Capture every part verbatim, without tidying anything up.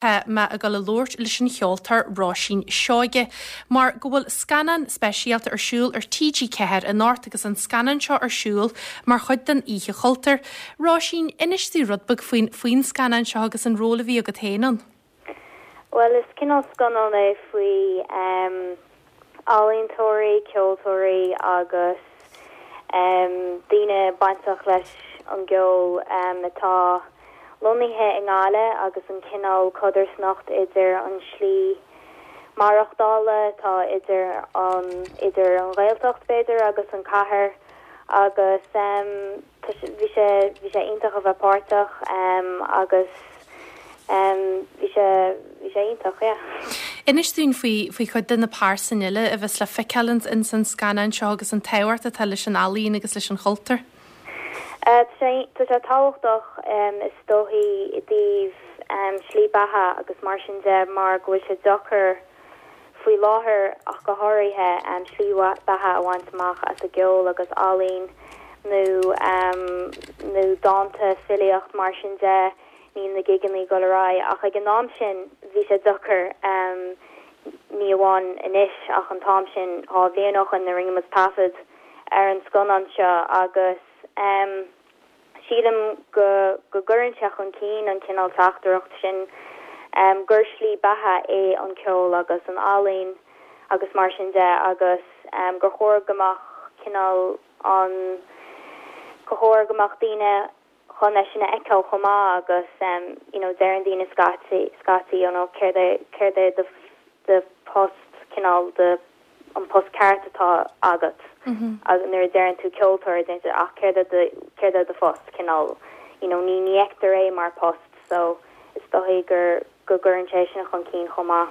Tá mé ag dul a labhairt leis an cheoltóir Róisín Seoige mar go bhfuil scannán speisialta ar siúl ar TG Ceathair anocht agus an scannán seo ar siúl mar chuid den Oíche Chultúir. Róisín, inis dúinn rud beag faoin faoin scannán seo agus an ról a bhí agat féin ann. Well is cineál scannán é faoi um, ealaíontóirí, ceoltóirí agus um, daoine bainteach leis an gceol um, atá lonnaithe i nGaillimh agus an cineál codarsnacht idir an slí maireachtála atá idir an idir an Ghaeltacht b'fhéidir agus an cathair agus um, bhí sé bhí sé iontach a bheith páirteach um, agus um, bhí sé bhí sé iontach yeah. Inis dúinn faoi faoi chuid de na pearsain eile a bheas le feiceáil in san scannán seo agus an tábhacht atá leis an ealaín agus leis an chultúr. Uh, tá sé tábhachtach um, is dóichí i dtaobh um, slí beatha agus mar sin de mar go bhfuil sé deacair faoi láthair ach go háirithe um, slí beatha a bhaint amach as an gceol agus ealaín nó um, nó dánta filíocht mar sin de níl na gigeanna go raibh ach ag an am sin bhí sé deacair um, ní amháin anois ach an t-am sin dhá bhliain ó shin a rinne muid taifead ar an scannán seo agus um, sílim go go gcuireann sé chun cinn an cineál teachtaireacht sin um, gur slí beatha é an ceol agus an ealaín agus mar sin de agus um, gur chóir go mbeadh cineál an gur chóir go mbeadh daoine chun é sin a fheiceáil chomh maith agus um, you know, deireann daoine scaití scaití you know, céard é céard é do do post cineál de an post ceart atá agat Mm -hmm. agus nuair a deireann tú ceoltóir ach céard céard é do phost cineál you know, ní ní fheictear é mar post so is dóichí gur go gcuireann sé sin chun cinn chomh maith.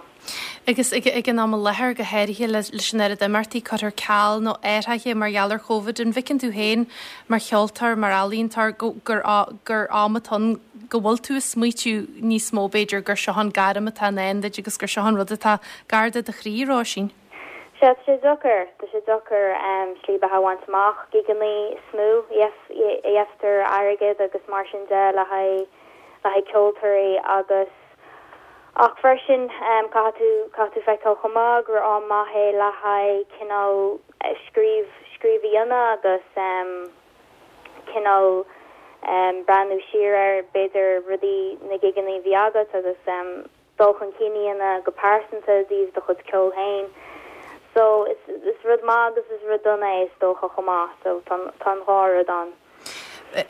Agus ag ag an am i láthair go háirithe leis an oiread imeachtaí curtha ar ceal nó athraithe mar gheall ar Covid an bhfeiceann tú féin mar cheoltóir mar ealaíontóir gur gur am atá ann go bhfuil tú ag smaoitiú níos mó b'fhéidir gur seo an gairm atá ann duit agus gur seo an rud atá gar do do chroí Róisín. Sea sé deacair Tá sé deacair um, slí beatha a bhaint amach gigeanna is mó a fhaightear airgead agus mar sin de le haghaidh le haghaidh ceoltóirí agus ach freisin um, caithfidh tú caithfidh tú feiceáil chomh maith gur am maith é le haghaidh cineál scríobh scríobh a dhéanamh agus um, cineál um, breathnú siar ar b'fhéidir rudaí na gigeanna a bhí agat agus um, dul chun cinn go pearsanta i dtaobh do chuid ceoil féin. So is is rud maith agus is rud dona é is dócha chomh maith so tá an dhá rud ann.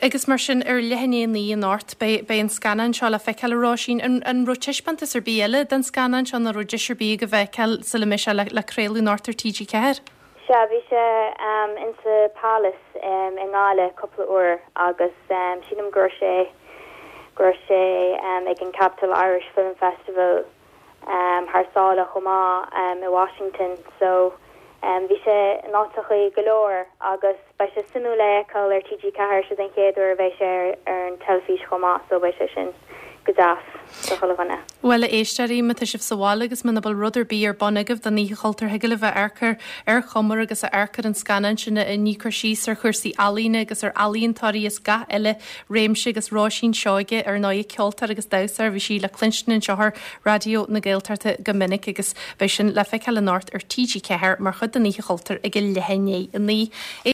Agus mar sin ar leath i ndiaidh a naoi anocht beidh an scannán seo le feiceáil a Róisín an an raibh taispeántas ar bith eile den scannán seo nó raibh deis ar bith go bhfeiceáil sula mbeidh sé le, le craoladh anocht ar TG Ceathair? Sea bhí sé um, insa Palace um, i nGaillimh cúpla uair agus um, sílim gur sé gur sé um, ag an Capital Irish Film Festival um, thar sáile chomh maith um, i Washington so um, bhí sé in áiteachaí go leor agus beidh sé suimiúil é a fheiceáil ar TG Ceathair sé den chéad uair a bheidh sé ar, ar an teilifís chomh maith so beidh sé sin go deas do chuile dhuine. Well a éisteoirí má tá sibh sa bhaile agus muna bhfuil rud ar bith ar bun agaibh don Oíche Chultúir thig libh a amharc ar ar Chumar agus a amharc ar an scannán sin a ní cur síos ar chúrsaí ealaíne agus ar ealaíontóirí is gach eile réimse agus Róisín Seoige ar ndóigh ceoltóir agus damhsóir bhí sí le cluinstin anseo ar Raidió na Gaeltachta go minic agus beidh sin le feiceáil anocht ar TG Ceathair mar chuid den Oíche Chultúir ag a leath i ndiaidh a naoi.